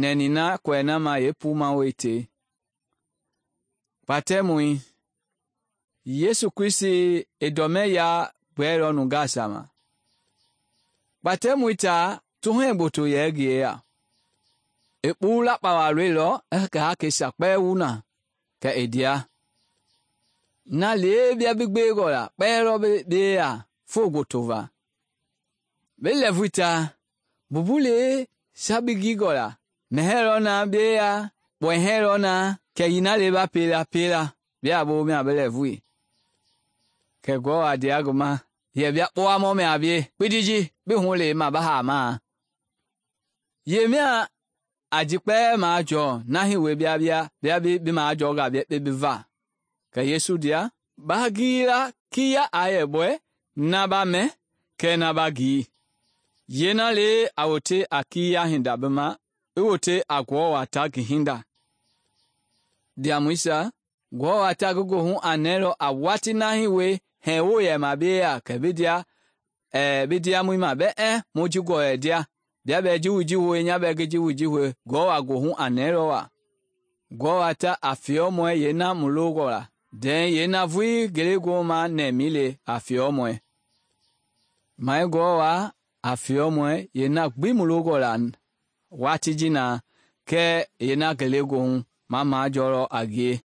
nɛni na kɔɛ na ma yeepuumawoi te. Kpatɛmɔi, Yesu Kristi i dɔmɛ ya gbɛɛlɔ nungaasa ma. Kpatɛmɔi taa tuhɛɛ gboto yɛ ngi yeya. I kpuu lakpawa lɔilɔ i ngi hakeisia kpɛɛ wu na, kɛ i ndea. Na lee bia bi gbewengɔ la kpɛɛ lɔ bi yeya foo gboto va. Bi lɛɛvui taa, mbumbulei sa bi gingɔ la, mɛhɛɛ lɔ na bi yeya, kpɔhɛɛ lɔ na, kɛ yinalei ba pela bia a boo mia bi lɛɛvui. Kɛ Ngewɔ a ndea ngi ma yɛ bia kpowamɔ mɛ a bie kpindi ji bi hulei ma bi haamaa. Yee mia a ji kpɛɛ majɔɔ na hiwei bia bi majɔɔnga bi va. Kɛ Yesu ndea, ba gila kiya a yɛ bɔɛ na ba mɛ kɛɛ na ba gii. Yeena le a wote a kiya hinda bi ma, i wote a Ngewɔ wa ta ngi hinda. Ndiamɔisia, Ngewɔ wa ta ngi goohu a nɛɛlɔ a watii na hiwei hɛɛwo yɛma bi yeya kɛ bi ndiamɔi ma bɛɛ mu ji gɔlɛ ndia. Bia bɛ ji wu ji hoe, nya bɛ ngi ji wu ji hoe, Ngewɔ wa goohu a nɛɛlɔ wa. Ngewɔ wa ta a fiɔmɔɛ yeena mu longɔ la, dɛɛ yeena vulii ngelegoohu ma nɛmi le a fiɔmɔɛ. Mai Ngewɔ wa a fiɔmɔɛ yeena gbi mu longɔ la watii ji na, kɛɛ yeena ngelegoohu ma majɔlɔ a ngie.